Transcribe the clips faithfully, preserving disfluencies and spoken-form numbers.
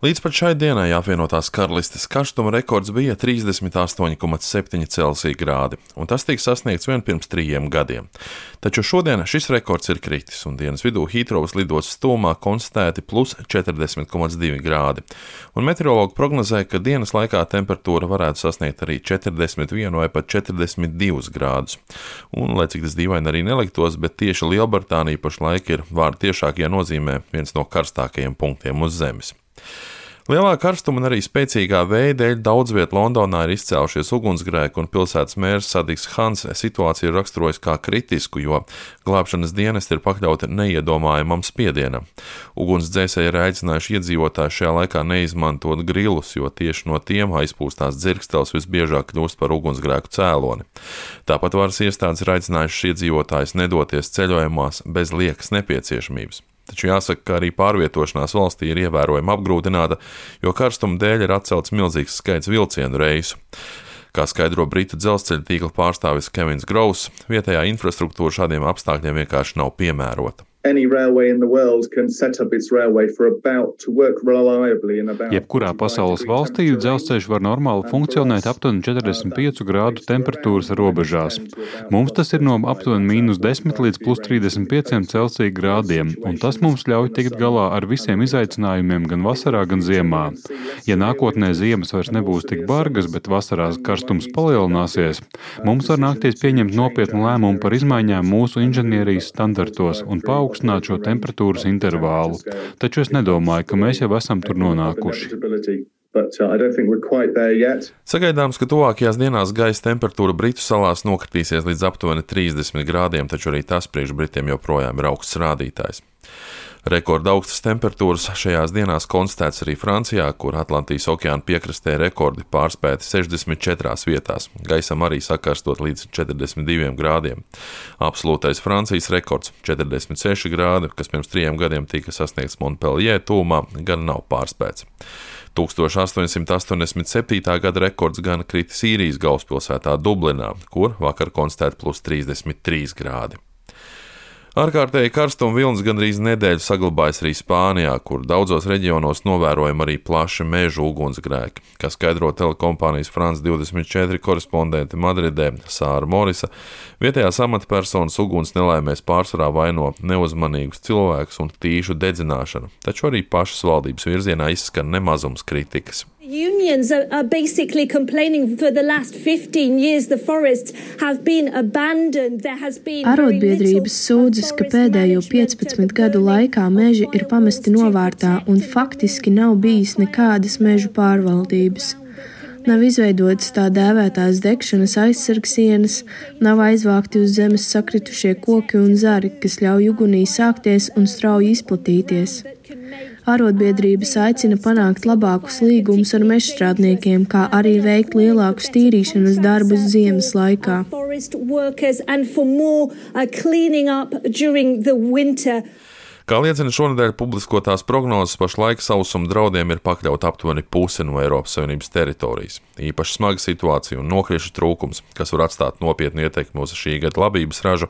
Līdz pat šai dienai apvienotās karalistes karstuma rekords bija trīsdesmit astoņi komats septiņi Celsija grādi, un tas tika sasniegts vien pirms trījiem gadiem. Taču šodien šis rekords ir kritis, un dienas vidū Hītrovas lidostas tuvumā konstatēti plus četrdesmit komats divi grādi, un meteorologi prognozē, ka dienas laikā temperatūra varētu sasniegt arī četrdesmit vienu vai pat četrdesmit divus grādus. Un, lai cik tas dīvaini arī neliktos, bet tieši Lielbritānija pašlaik ir vārdu tiešākajā nozīmē viens no karstākajiem punktiem uz Zemes. Lielā karstuma un arī spēcīgā vēja dēļ daudz viet Londonā ir izcēlušies ugunsgrēki, un pilsētas mērs Sadiks Hans situāciju ir raksturojis kā kritisku, jo glābšanas dienesti ir pakļauti neiedomājamam spiedienam. Ugunsdzēsēji ir aicinājuši iedzīvotājus šajā laikā neizmantot grilus, jo tieši no tiem aizpūstās dzirkstels visbiežāk kļūst par ugunsgrēku cēloni. Tāpat varas iestādes ir aicinājušas iedzīvotājus nedoties ceļojumās bez liekas nepieciešamības. Taču jāsaka, ka arī pārvietošanās valstī ir ievērojami apgrūtināta, jo karstuma dēļ ir atcelts milzīgs skaits vilcienu reisu. Kā skaidro Britu dzelzceļa tīkla pārstāvis Kevins Gross, vietējā infrastruktūra šādiem apstākļiem vienkārši nav piemērota. Jebkurā pasaules valstī dzelzceļš var normāli funkcionēt aptuveni četrdesmit piecu grādu temperatūras robežās. Mums tas ir no aptuveni mīnus desmit līdz plus trīsdesmit pieciem Celsija grādiem, un tas mums ļauj tikt galā ar visiem izaicinājumiem gan vasarā, gan ziemā. Ja nākotnē ziemas vairs nebūs tik bargas, bet vasarās karstums palielināsies, mums var nākties pieņemt nopietnu lēmumu par izmaiņām mūsu inženierijas standartos un paaugstināt šo temperatūras intervālu. Taču es nedomāju, ka mēs jau esam tur nonākuši. Sagaidāms, ka tuvākajās dienās gaisa temperatūra Britu salās nokritīsies līdz aptuveni trīsdesmit grādiem, taču arī tas priekš Britiem joprojām ir augsts rādītājs. Rekorda augstas temperatūras šajās dienās konstatēts arī Francijā, kur Atlantijas okeāna piekrastē rekordi pārspēti sešdesmit četrās vietās, gaisam arī sakarstot līdz četrdesmit diviem grādiem. Absolūtais Francijas rekords četrdesmit seši grādi, kas pirms trījiem gadiem tika sasniegts Montpellier tuvumā, gan nav pārspēts. tūkstoš astoņsimt astoņdesmit septītā gada rekords gan kritis Īrijas galvaspilsētā Dublinā, kur vakar konstatēti plus trīsdesmit trīs grādi. Ārkārtēji karstuma vilnis gandrīz nedēļu saglabājas arī Spānijā, kur daudzos reģionos novērojami arī plaši mežu ugunsgrēki, kā skaidro telekompānijas France divdesmit četri korespondente Madridē Sāra Morisa. Vietējās amatpersonas uguns nelaimēs pārsvarā vaino neuzmanīgus cilvēkus un tīšu dedzināšanu, taču arī pašas valdības virzienā izskan nemazums kritikas. Unions are, are basically complaining for the last fifteen years the forests have been abandoned. There has been Arotbiedrības sūdzas, ka pēdējo piecpadsmit gadu laikā meži ir pamesti novārtā un faktiski nav bijis nekādas mežu pārvaldības. Nav izveidotas tā dēvētās degšanas aizsargsienas, nav aizvākti uz zemes sakritušie koki un zari, kas ļauj ugunī sākties un strauji izplatīties. Arotbiedrības aicina panākt labākus līgumus ar mežstrādniekiem, kā arī veikt lielākus tīrīšanas darbus ziemas laikā. Kā liecina šonedēļ publiskotās prognozes, pašlaik sausuma draudiem ir pakļauta aptuveni puse no Eiropas Savienības teritorijas. Īpaši smaga situācija un nokriešu trūkums, kas var atstāt nopietnu ietekmi uz šī gada labības ražu,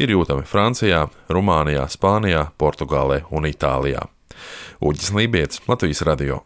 ir jūtami Francijā, Rumānijā, Spānijā, Portugālē un Itālijā. Uģis Lībietis, Latvijas radio.